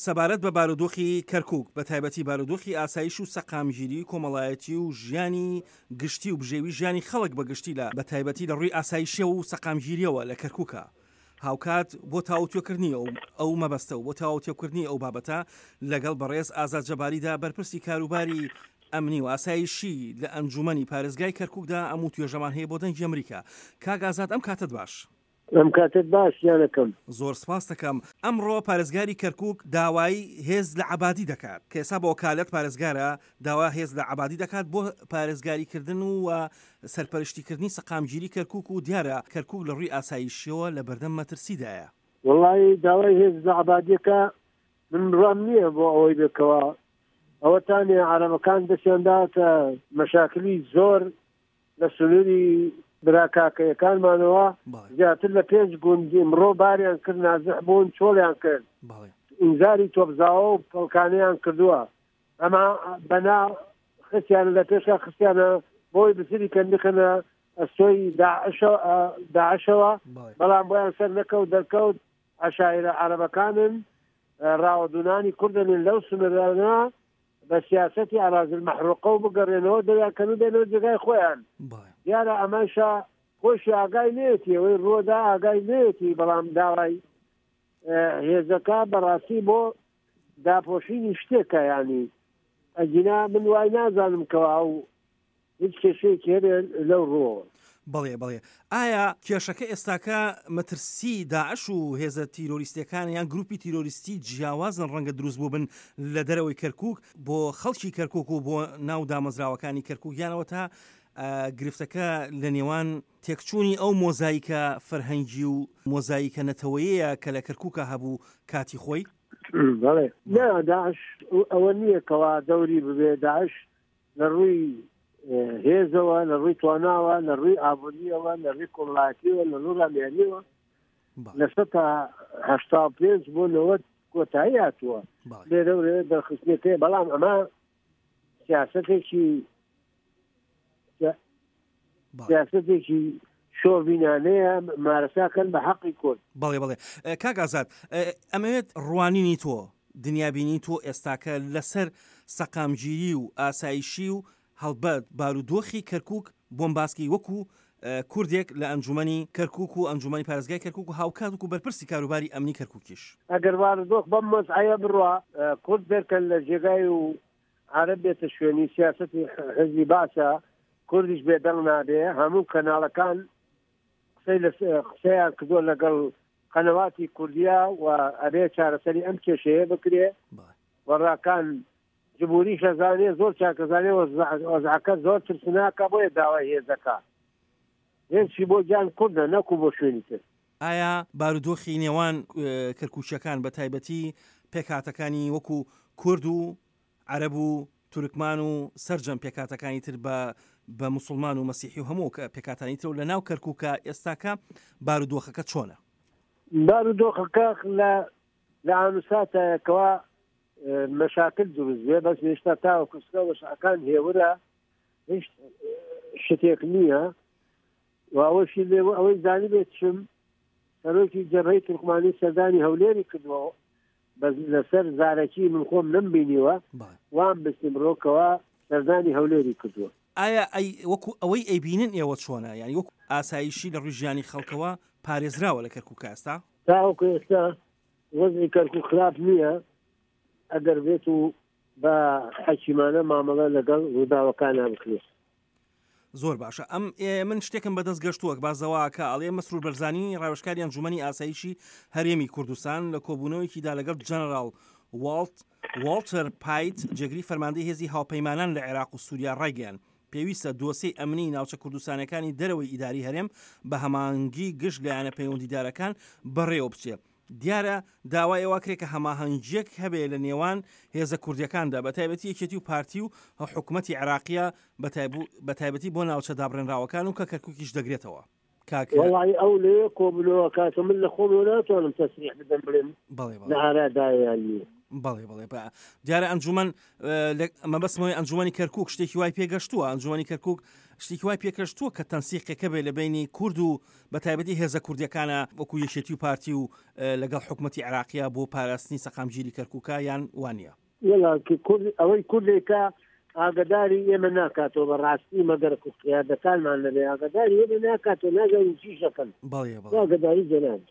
سەبارەت بە بارودۆخی کەرکوک، بە تایبەتی بارودۆخی ئاسایش و سەقامگیری کۆمەڵایەتی و ژیانی گشتی و بژێوی ژیانی خەڵک بە گشتی لە بە تایبەتی لە ڕووی ئاسایشیەوە و سەقامگیریەوە لە کەرکوکا. هاوکات بۆ تاوتوێکردنی ئەو ئەو مەبەستە و بۆ تاوتێکردنی ئەو بابەتە لەگەڵ بەڕێز ئازاد جەباریدا بەرپرسی کاروباری ئەمنی و ئاسایشی لە ئەنجومەنی پارێزگای کەرکوکدا ئەم وتوێژەمان هەیە بۆ دەنگی ئەمریکا. کاک ئازاد ئەم کاتەت باش. ئەم کاتەت باش گیانەکەم. زۆر سپاست دەکەم. ئەمڕۆ پارێزگاری کەرکوک داوای هێز لە عەبادی دەکات کە ئێستا بە وەکالەت پارێزگارە داوا هێز لە عەبادی دەکات بۆ پارێزگاری کردن و سەرپەرشتی کردنی سەقامگیری کەرکوک و دیارە کەرکوک لە ڕووی ئاسایشیەوە لە بەردەم مەترسیدایە. وەڵایی داوای هێز لە عەبادیەکە من بڕوام نییە بۆ ئەوەی بێ کەوا ئەوەتانێ عەرەبەکان دەستیان داوەتە مەشاکلی زۆر لە سنووری برا کاکەیەکانمانەوە زیاتر لە پێنج گوند ئمڕۆ باریان کرد نازح بوون چۆڵیان کرد ئینزاری تۆپزاوە و پەڵکانیان کردووە ئەما بەنا خستیانە لە پێشە خستیانە بۆی بزری کەن بخەنە ئەستۆی داعشەوە بەڵام بۆیان سەر نەکەوت دەرکەوت عەشایرە عەرەبەکانن ڕاوەدوونانی کوردن لەو سنوورانە بە سیاسەتی ئەراضی المحروقە و بگەڕێنەوە دەریان کەن و بێنەوە جێگای خۆیان دیارە ئەمەشە خۆشی ئاگای نێتی ئەوەی ڕۆدا ئاگای نێتی بەڵام داوای هێزەکە بەڕاستی بۆ داپۆشینی شتێکە ینی ئەگینا من وای نازانم کەوا ئەو هیچ کێشەیەکی هەبێ لەو ڕووەوە. بەڵێ بەڵێ ئایا کێشەکە ئێستاکە مەترسی داعش و هێزە تیرۆریستیەکان یان گروپی تیرۆریستی جیاوازن ڕەنگە دروست بووبن لە دەرەوەی کەرکوک بۆ خەڵکی کەرکوک و بۆ ناو دامەزراوەکانی کەرکوک یانەوە تا گرفتەکە لە نێوان تێکچوونی ئەو مۆزایکە فەرهەنگی و مۆزایکە نەتەوەیەیە کە لە کەرکوکا هەبوو کاتی خۆی؟ بەڵێ نا داعش ئەوە نییە کەوا دەوری ببێ داعش لە ڕووی هێزەوە لە ڕووی تواناوە لە ڕووی ئابووریەوە لە ڕووی کۆمەڵایەتیەوە لە ڕووی ڕامیاریەوە لە 85 بۆ 90 کۆتایی هاتووە لێرە و لێرە دەرخستنەکەی بەڵام ئەمە سیاستێکی سیاستێکی شۆڤینانەیە مارەساکەن بە حەقی کورد. بەڵێ بەڵێ کاک ئازاد ئەمەوێت ڕوانینی تۆ دنیابینی تۆ ئێستاکە لەسەر سەقامگیری و ئاسایشی و هەڵبەت بارودۆخی کەرکک بۆم باسکەی وەکو کوردێک لە ئەنجومەنی کەرکک و ئەنجومەنی پارێزگای کەرکک و هاوکات وکو بەرپرسی کاروباری ئەمنی کەرککیش. ئەگەر بارودۆخ بەم وەزعەیە بڕوا کورد دەرکەن لە جێگای و عەرەب بێتە شوێنی سیاسەتی حزبی باسە کوردیش بێدەنگ نابێ هەموو کەناڵەکان قسەی قسەیان کردووە لەگەڵ قەنەواتی کوردیا و ئەبێ چارەسەری ئەم کێشەیە بکرێ و ڕاکان جمهوری شەزانێ زۆر چاکەزانێ وەزعەکە زۆر ترسناکە بۆیە داوای هێزەکە هێزی بۆ گیان کوردە نەکو بۆ شوێنی تر. ئایا بارودۆخی نێوان کەرکوکییەکان بە تایبەتی پێکهاتەکانی وەکو کورد و عەرەب و تورکمان و سەرجەم پێکهاتەکانی تر بە بە موسڵمان و مەسیحی و هەموو پێکهاتانی ترەوە لە ناو کەرکوکە ئێستاکە بارودۆخەکە چۆنە؟ بارودۆخەکە لە لە ئانوساتایەکەوە مەشاکل دروست بێ بەس هێشتا تاوەکو سکە وەشعەکان هێورە هیچ شتێک نییە و ئەوەشی لێ ئەوەی زانی بێت چم سەرۆکی جەبهەی تورکمانی سەردانی هەولێری کردووە بەس لەسەر زارەکی من خۆم نەمبینیوە وام بستیم ڕۆکەوە سەردانی هەولێری کردووە. ئایا ئەی وەکو ئەوەی ئەیبینن ئێوە چۆنە یانی وەکو ئاسایشی لە ڕووی ژیانی خەڵکەوە پارێزراوە لە کەرکوکا ئێستا؟ تاوەکو ئێستا وەزعی کەرکوک خراپ نییە ئەگەر بێت و بە حەکیمانە مامەڵە لەگەڵ ڕووداوەکانا بکرێت. زۆر باشە ئەم من شتێکم بەدەست گەشتووە بازەوە کە ئەڵێ مەسرور بەرزانی ڕاوێژکاری ئەنجومەنی ئاسایشی هەرێمی کوردستان لە کۆبوونەوەیەکیدا لەگەڵ جەنەراڵ واڵت واڵتەر پایت جێگری فەرماندەی هێزی هاوپەیمانان لە عێراق و سووریا ڕایگەیان پێویستە دۆسیەی ئەمنی ناوچە کوردستانەکانی دەرەوەی ئیداری هەرێم بە هەماهەنگی گشت لایەنە پەیوەندیدارەکان بەڕێوە بچێ دیارە داوای ئەوە کرێ کە هەماهەنگییەک هەبێ لە نێوان هێزە کوردییەکاندا بە تایبەتی یەکێتی و پارتی و حکومەتی عێراقییە بە تایبەتی بۆ ناوچە دابڕێنراوەکان و کە کەرکوکیش دەگرێتەوە. کاک. وەڵایی ئەو لەوێ کۆبوونەوە کاکە من لە خۆمەوە ناتوانم تەسریح بدەم بڵێم بەڵێ بەڵێ. لە ئارادایە یان نییە. بەڵێ بەڵێ بە دیارە ئەنجومەن مەبەستمەوەی ئەنجومەنی کەرکک شتێکی وای پێگەشتووە ئەنجومەنی کەرکک شتێکی وای پێکەشتووە کە تەنسیقەکە بێ لە بینی کورد و بە تایبەتی هێزە کوردیەکانە وەکو یەکێتی و پارتی و لەگەڵ حکوومەتتی عراقیە بۆ پاراستنی سەقامگیری کەرکووکە یان وانە وەڵا کورد ئەوەی کوردێکە ئاگداری ئێمە ناکاتەوە بە ڕاستی مەگەر قیادەکانمان نەبێ ئاگداری ئێمە ناکاتەوە نازانین چیش دەکەن بەڵێ بەڵێ ئاگداری جەناب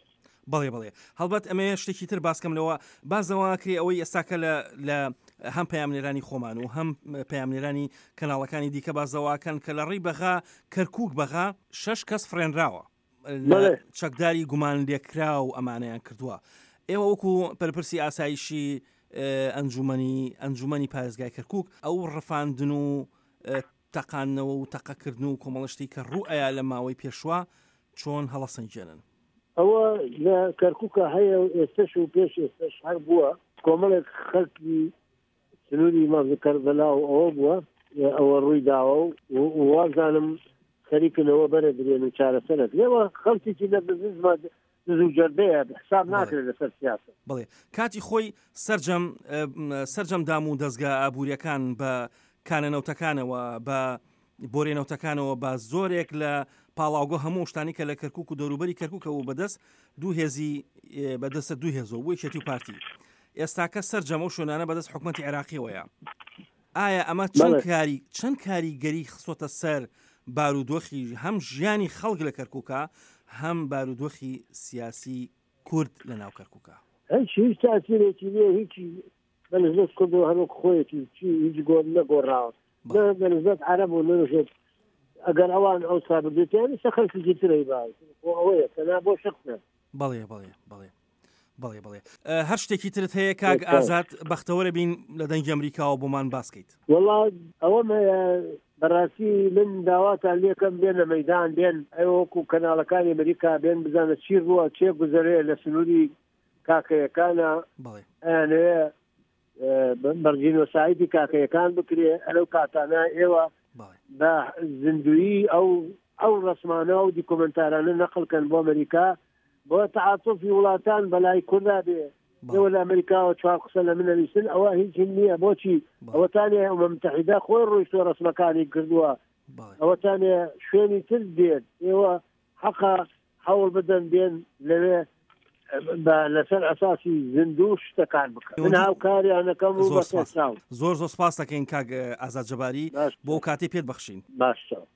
بەڵێ بەڵێ هەڵبەت ئەمەیە شتێکی تر باسکەم لەوە بازەوە کرێ ئەوەی ئێستاکە لە لە هەم پەیامنێرانی خۆمان و هەم پەیامنێرانی کەناڵەکانی دیکە بازەواکەن کە لە ڕێی بەغا کەرکک بەغا شش کەس فڕێنراوە چەکداری گومان لێکراو ئەمانەیان کردووە ئێوە وەکو پەرپرسی ئاسایشی ئەنجومەنی ئەنجومەنی پارێزگای کەرکک ئەو ڕفاندن و تەقاندنەوە و تەقەکردن و کۆمەڵە شتی کە ڕوو ئەیا لە ماوەی پێشوا چۆن هەڵەسەنگێنن؟ ئەوە لە کەرکوکا هەیە و ئێستەش و پێش ئێستەش هەر بووە، کۆمەڵێک خەڵکی سنووری مەرز کەربەلا و ئەوە بووە ئەوە ڕووی داوە و وازانم خەریکن ئەوە بەرەدرێن و چارەسەر ئەکرێ و خەڵکێکی لە بزنس دز و جەردەیە حساب ناکرێت لەسەر سیاسەت. بەڵێ کاتی خۆی سەرجەم سەرجەم دام و دەزگا ئابووریەکان بە کانە نەوتەکانەوە بە بۆرێ نەوتەکانەوە بە زۆرێک لە پاڵاوگە هەموو شتانی کە لە کەرکک و دەوروبەری کەرککەوە بەدەست دوو هێزی بەدەستە دوو هێزەوە بوو یەکێتی و پارتی ئێستاکە سەرجەم ئەو شوێنانە بەدەست حکومەتی عێراقیەوەیە ئایا ئەمە چەند کاری چەند کاریگەری خستۆتە سەر بارودۆخی هەم ژیانی خەڵک لە کەرکووکە هەم بارودۆخی سیاسی کورد لە ناو کەرکووکە؟ هیچ هیچ تاسیرێکی نییە هیچی بە نسبەت کورد و هەروەک خۆیەتی چی هیچ گۆر نەگۆڕاوە نە بە نسبەت عەرەب و نەنسبەت ئەگەر ئەوان ئەو سابردێتیان ئێستا خەڵکێکی ترەی باوە خۆ ئەوەیە تەنها بۆ شەخسە. بەڵێ بەڵێ بەڵێ. بەڵێ بەڵێ هەر شتێکی ترت هەیە کاک ئازاد بەختەوەرە بین لە دەنگی ئەمریکاوە بۆمان باسکەیت. وەڵا ئەوەم هەیە بەڕاستی من داواتان لێکەم بێنە مەیدان بێن ئەوە وەکو کەناڵەکانی ئەمریکا بێن بزانە چی ڕووە چێ گوزەرێ لە سنووری کاکەیەکانە ئەیانەوێ بەرجینۆسایدی کاکەیەکان بکرێ ئەلەو کاتانە ئێوە بە زیندویی ئەو ئەو ڕسمانە و دیکۆمنتارانە نەقلکەن بۆ ئەمریکا بۆ تعاتۆفی وڵاتان بەلای کوردا بێ ئێوە لە ئەمریکاوە چوار قسە لە من نەویستن ئەوە هیچ نییە بۆچی ئەوەتانێ ئەمە متحیدا خۆی ڕۆیشتوە ڕسمەکانی کردووە ئەوەتانێ شوێنی تر دێت ئێوە حەقە هەوڵ بدەن بێن لەوێ بە لەسەر ئەساسی زیندوو شتەکان بکەن من هاوکاریانەکەم و زۆر سپاس زۆر زۆر سپاس دەکەین کاک ئازاد جەباری بۆ کاتی پێت بەخشین باشە.